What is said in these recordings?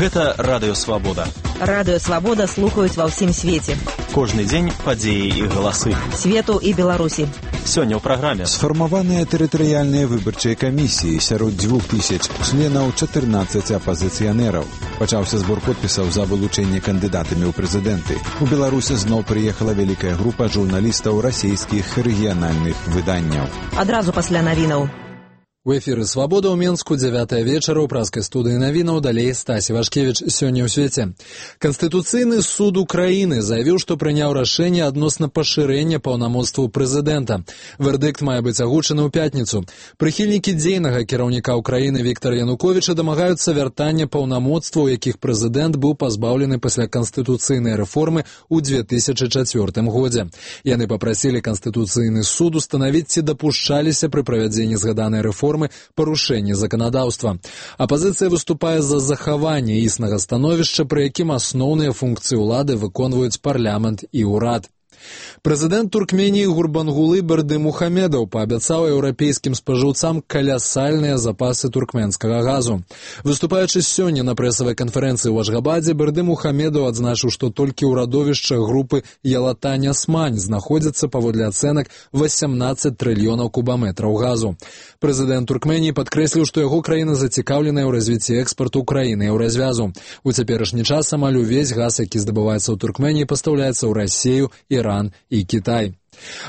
Гэта Радыё Свабода. Радыё Свабода слухаюць ва ўсім свеце. Кожны дзень падзеі і галасы. Свету і Беларусі. Сёння ў праграме. Сфармаваныя тэрытарыяльныя выбарчыя камісіі сярод 2000 членаў 14 апазіцыянераў. Пачаўся збор подпісаў за вылучэнне кандыдатамі ў прэзідэнты. У Беларусі зноў прыехала вялікая група журналістаў расійскіх рэгіянальных выданняў. Адразу пасля навінаў. У эфіры «Свабода» ў Менску, 9 вечара, ў праскай студыі навінаў, далей Стасі Вашкевіч. Сёння ў свеце. Канстытуцыйны суд Украіны заявіў, што прыняў рашэнне адносна пашырэння паўнамоцтваў прэзідэнта. Вердыкт мае быць агучаны ў пятніцу. Прыхільнікі дзейнага кіраўніка Украіны Віктара Януковіча дамагаюцца вяртання паўнамоцтваў, якіх прэзідэнт быў пазбаўлены пасля канстытуцыйнай рэформы ў 2004 годзе. Яны папрасілі Канстытуцыйны суд устанавіць, ці дапушчаліся пры правядзенні згаданай рэформы парушэнне заканадаўства. Апазіцыя выступае за захаванне існага становішча, пры якім асноўныя функцыі ўлады выконваюць парламент і ўрад. Прэзідэнт Туркменіі Гурбангулы Бердымухамедов паабяцаў еўрапейскім спажыўцам калясальныя запасы туркменскага газу. Выступаючы сёння на прэсавай канферэнцыі ў Ашгабадзе, Бердымухамедов адзначыў, што толькі ў радовішчах групы Ялатань-Асмань знаходзіцца паводле ацэнак 18 трыльёнаў кубаметраў газу. Прэзідэнт Туркменіі падкрэсліў, што яго краіна зацікаўленая ў развіцці экспарту краіны еўразвязу. У цяперашні час амаль увесь газ, які здабываецца ў Туркменіі, пастаўляецца ў Расію, Іран і Кітай.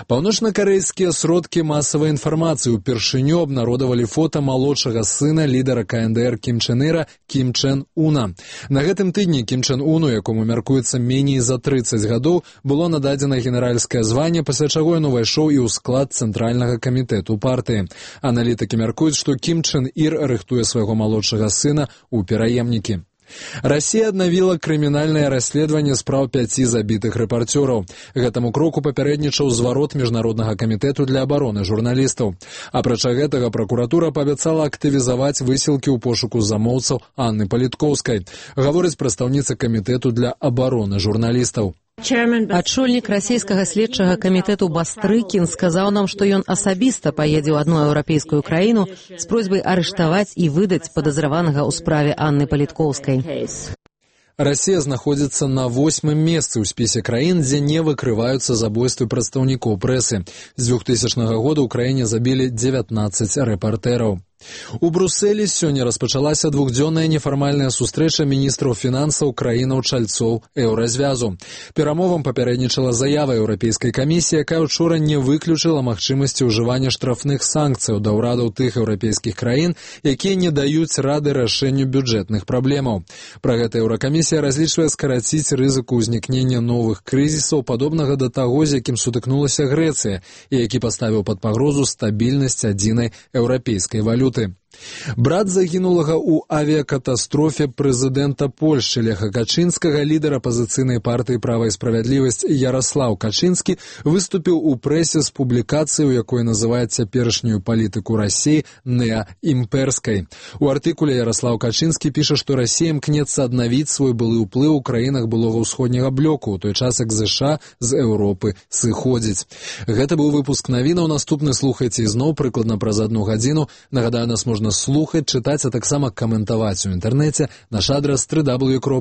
Паўночнакарэйскія сродкі масавай інфармацыі упершыню абнародавалі фота малодшага сына лідара КНДР Кім Чен Іра Кім Чен Уна. На гэтым тыдні Кім Чен Уну, якому мяркуецца меней за 30 гадоў, было нададзена генеральскае званне, пасля чаго ён увайшоў і ў склад Цэнтральнага камітэту партыі. Аналітыкі мяркуюць, што Кім Чен Ір рыхтуе свайго малодшага сына ў пераемнікі. Расія аднавіла крымінальнае расследаванне спраў 5 забітых рэпарцёраў. Гэтаму кроку папярэднічаў зварот Міжнароднага камітэту для абароны журналістаў. Апрача гэтага, пракуратура паабяцала актывізаваць высілкі ў пошуку замоўцаў Анны Паліткоўскай, гаворыць прадстаўніца камітэту для абароны журналістаў. Адчольнік расійскага следчага камітэту Бастрыкін сказаў нам, што ён асабіста паедзе ў адну еўрапейскую краіну з просьбай арыштаваць і выдаць падазраванага ў справе Анны Паліткоўскай. Расія знаходзіцца на 8-м месцы ў спісе краін, дзе не выкрываюцца забойствы прадстаўнікоў прэсы. З 2000 года ў краіне забілі 19 рэпартэраў. У Брусэлі сёння распачалася двухдзённая нефармальная сустрэча міністраў фінансаў краінаў-чальцоў еўразвязу. Перамовам папярэднічала заява Еўрапейскай камісіі, якая учора не выключыла магчымасці ўжывання штрафных санкцыяў да ўрадаў тых еўрапейскіх краін, якія не даюць рады рашэнню бюджэтных праблемаў. Пра гэта Еўракамісія разлічвае скараціць рызыку ўзнікнення новых крызісаў, падобнага да таго, з якім сутыкнулася Грэцыя, і які паставіў пад пагрозу стабільнасць адзінай еўрапейскай валюты. Брат загінулага ў авіякатастрофе прэзідэнта Польшчы Леха Качынскага, лідар апазіцыйнай партыі «Права і справядлівасць» Яраслаў Качынскі выступіў у прэсе з публікацыяй, у якой называе цяперашнюю палітыку Расіі неаімперскай. У артыкуле Яраслаў Качынскі піша, што Расія імкнецца аднавіць свой былы ўплыў у краінах былога ўсходняга блоку, у той час як ЗША з Еўропы сыходзіць. Гэта быў выпуск навінаў, наступны слухайце ізноў прыкладна праз 1 гадзіну. Нагадаю, нас можна слухаць, чытаць, а таксама каментаваць у інтэрнэце. Наш адрас www.radioSвобода.org.